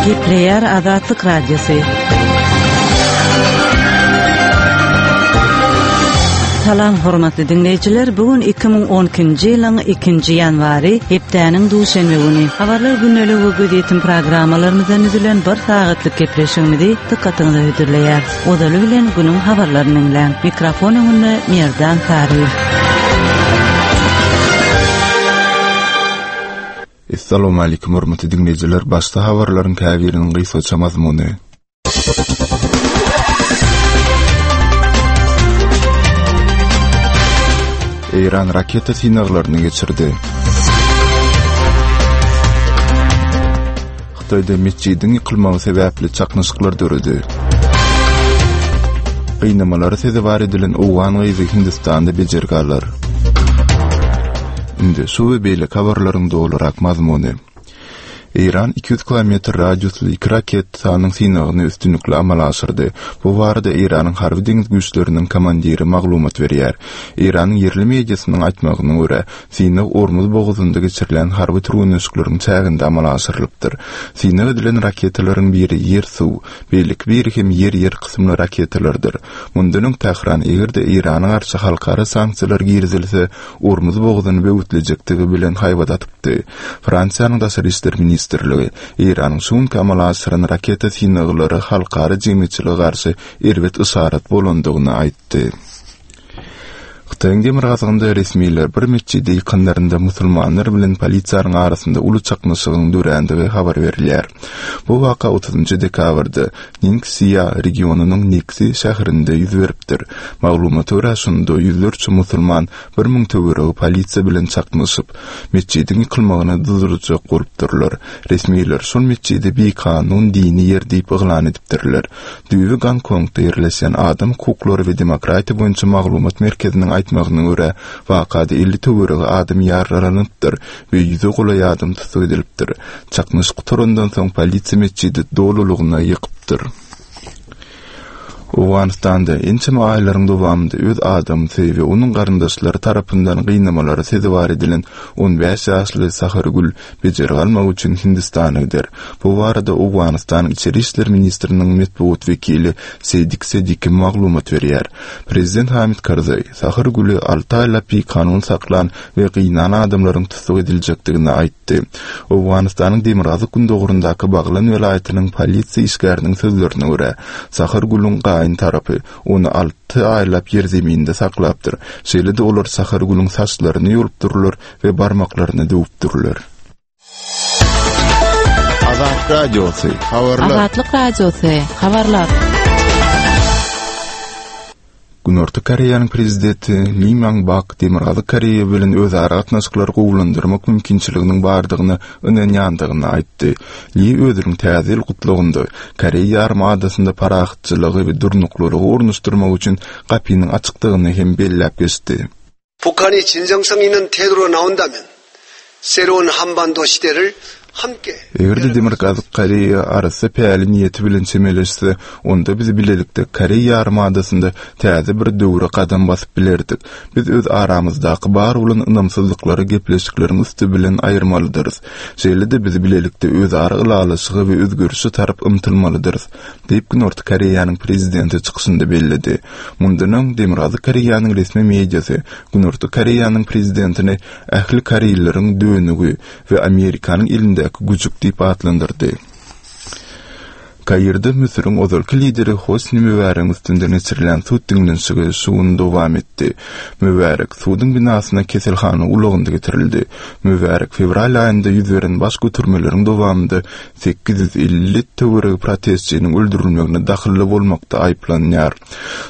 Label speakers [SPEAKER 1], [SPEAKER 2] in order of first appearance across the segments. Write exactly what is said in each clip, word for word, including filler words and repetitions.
[SPEAKER 1] Gepleýär Azatlyk Radiosy. Salam hormatly diňleýjiler, bu gün iki müň on ikinji ýylyň ikinji ýanwary, hepdäniň duşenbe güni. Habarlar gündelik we gözýetim programmalarymyzdan düzülen bir sagatlyk gepleşigimizi dykgatyňyza hödürleýär. Ozaly bilen günüň habarlaryny diňläň. Mikrofon öňünde Merdan Saryýew.
[SPEAKER 2] Assalamu alaykum hormatly diňleýjiler. Başda habarlaryň käbiriniň gysgaça mazmuny. Eýran raketa synaglaryny geçirdi. Hytaýda metjidiň ýykylmagy sebäpli çaknyşyklar döredi. Gynamalara sezewar edilen owgan gyzy Hindistanda bejergi alar. Indi şu we beýleki habarlaryň dolurak mazmuny. Eýran iki ýüz kilometr radiusly iki raketanyň synagyny üstünlikli amala aşyrdy. Bu barada Eýranyň harby deňiz güýçleriniň komandiri maglumat berýär. Eýranyň ýerli mediasynyň aýtmagyna görä, synag Ormuz bogazynda geçirilen harby türgenleşikleriň çäginde amala aşyrylypdyr. Synag edilen raketalaryň biri ýer-suw, beýleki biri hem ýer-ýer kysymly raketalardyr. Mundan öň Tähran eger-de Eýrana garşy halkara sanksiýalar girizilse, Ormuz bogazyny böwütlejekdigi bilen haýbat atypdy. Fransiýanyň daşary işler ministrligi Eýranyň şu günki amala aşyran raketa synaglary halkara jemgyýetçilige garşy erbet yşarat bolandygyny aýtdy. Hytaýyň demirgazygynda resmiler bir metjide ýykanlarynda musulmanlar bilen polisiýanyň arasynda uly çaknyşygyň dörändigi habar berilýär. Bu waka otuzynjy dekabrda Ningxia regionynyň Niksi şäherinde ýüz beripdir. Maglumata görä, şunda ýüzlerçe musulman bir müň töweregi polisiýa bilen çaknyşyp, metjidiň ýykylmagyna durdurjak bolupdyrlar. Resmiler şol metjidi bikanun dini ýer diýip yglan edipdirler. Düýbi Gonkongda ýerleşen adam hukuklary we demokratiýa boýunça maglumat merkeziniň aýtmagyna görä, wakada elli töweregi adam ýaralanypdyr we ýüze golaý adam tussag edilipdir. Çaknyşyk gutarandan soň polisiýa metjidi dolulygyna ýykypdyr. Owganystanda ençeme aýlaryň dowamynda öz adamsy we onuň garyndaşlary tarapyndan gynamalara sezewar edilen on bäş ýaşly Sahargül bejergi almak üçin Hindistana gider. Bu barada Owganystanyň İçeri işler ministriniň metbugat wekili Seýdik Sediki maglumat berýär. Prezident Hamid Karzaý Sahargüli alty aýlap bikanun saklan we gynan adamlaryň tussag ediljekdigini aýtdy. Owganystanyň demirgazyk gündoguryndaky Baglan welaýatynyň polisiýa işgäriniň sözlerine görä, Sahargülüň gaýyn tarapy ony alty aýlap ýerzeminde saklapdyr. Şeýle-de olar Sahargülüň saçlaryny ýolupdyrlar we barmaklaryny döwüpdirler.
[SPEAKER 3] Azat Radiosy, habarlar.
[SPEAKER 4] Azatlyk Radiosy, habarlar.
[SPEAKER 2] Günorta Koreýanyň prezidenti Lee Myung-bak Demirgazyk Koreýa bilen özara gatnaşyklary gowulandyrmak mümkinçiliginiň bardygyna ynanýandygyny aýtdy. Lee özüniň täze ýyl gutlagynda Koreýa ýarym adasynda parahatçylygy we durnuklylygy ornaşdyrmak üçin gapynyň açykdygyny hem belläp geçdi.
[SPEAKER 5] 북한이 진정성 있는 태도로 나온다면 새로운 한반도 시대를 함께
[SPEAKER 2] Eger-de Demirgazyk Koreýa arasy päli niýeti bilen çemeleşse, onda biz bilelikde Koreýa ýarym adasynda täze bir döwre gadam basyp bilerdik. Biz öz aramyzdaky bar bolan ynamsyzlyklary gepleşikleriň üsti bilen aýyrmalydyrys. Şeýle-de biz bilelikde özara ylalaşygy we özgerişe tarap ymtylmalydyrys, diýip Günorta Koreýanyň prezidenti çykyşynda belledi. Mundan öň Demirgazyk Koreýanyň resmi mediasy Günorta Koreýanyň prezidentini ähli koreýleriň dönügi we Amerikanyň elindäki güjük diýip atlandyrdy. Kairde Müsüriň ozalky lideri Hosni Mübaregiň üstünden geçirilen sud diňlenişigi şu gün dowam etdi. Mübarek suduň binasyna keselhana ulagynda getirildi. Mübarek fewral aýynda ýüz beren baş götürmeleriň dowamynda sekiz ýüz elli töweregi protestçiniň öldürilmegine dahylly bolmakda aýyplanýar.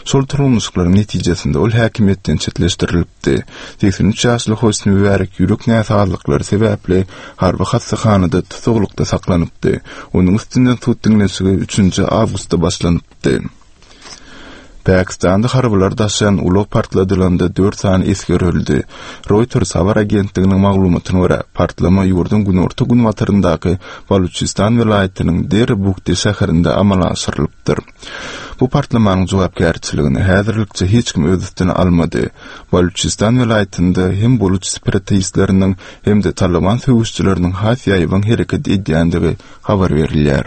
[SPEAKER 2] Şol turulmuşlyklaryň netijesinde ol häkimiýetden çetleşdirilipdi. Seksen üç ýaşly Hosni Mübarek ýürek näsazlyklary sebäpli harby hassahanada tutuklukda saklanypdy. Onuň üstünden sud diňlenişigi üçünji awgustda başlanypdy. Pakistanda harbylar daşayan ulag partladylanda dört sany esger öldü. Reuters habar agentliginiň maglumatyna görä, partlama ýurduň günorta günbataryndaky Baluçistan welaýatynyň Derbukti şäherinde amala aşyrylypdyr. Bu partlamanyň jogapkärçiligini häzirlikçe hiç kim öz üstüne almady. Baluçistan welaýatynda hem buluç separatistleriniň hem-de Taliban söweşçileriniň has ýaýbaň hereket edýändigi habar berilýär.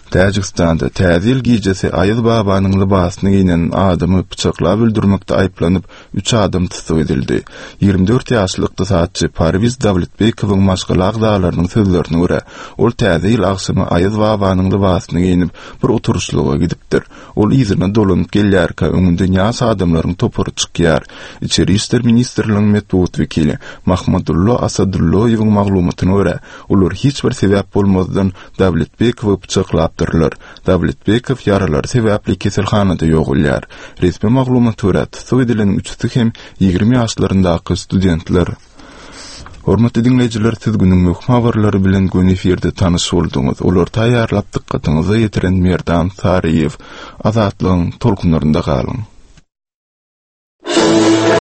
[SPEAKER 2] Täjigistanda Täze ýyl gijesi Aýaz babanyň lybasyny geýnen adamy pyçaklap öldürmekde aýyplanyp, üç adam tussag edildi. Ýigrimi dört ýaşly ykdysatçy Parwiz Dawletbekowyň maşgala agzalarynyň sözlerine görä, ol Täze ýyl agşamy Aýaz babanyň lybasyny geýnip, bir oturyşlyga gidipdir. Ol yzyna dolanyp gelýärkä, öňünden ýaş adamlaryň topary çykýar. Içeri işler ministrliginiň metbugat wekili Mahmadullo Asadulloýewiň maglumatyna görä, olar hiç bir sebäp bolmazdan Dawletbekowy pyçaklapdyrlar. Dawletbekow ýaralary sebäpli keselhanada ýogalýar. Resmi maglumata görä, tussag edileniň üçüsi hem ýigrimi ýaşlaryndaky studentler. Hormatly diňleýjiler, siz günüň möhüm habarlary bilen göni efirde tanyş bolduňyz. Olary taýýarlap dykgatyňyza ýetiren Merdan Saryýew. Azatlygyň tolkunlarynda galyň.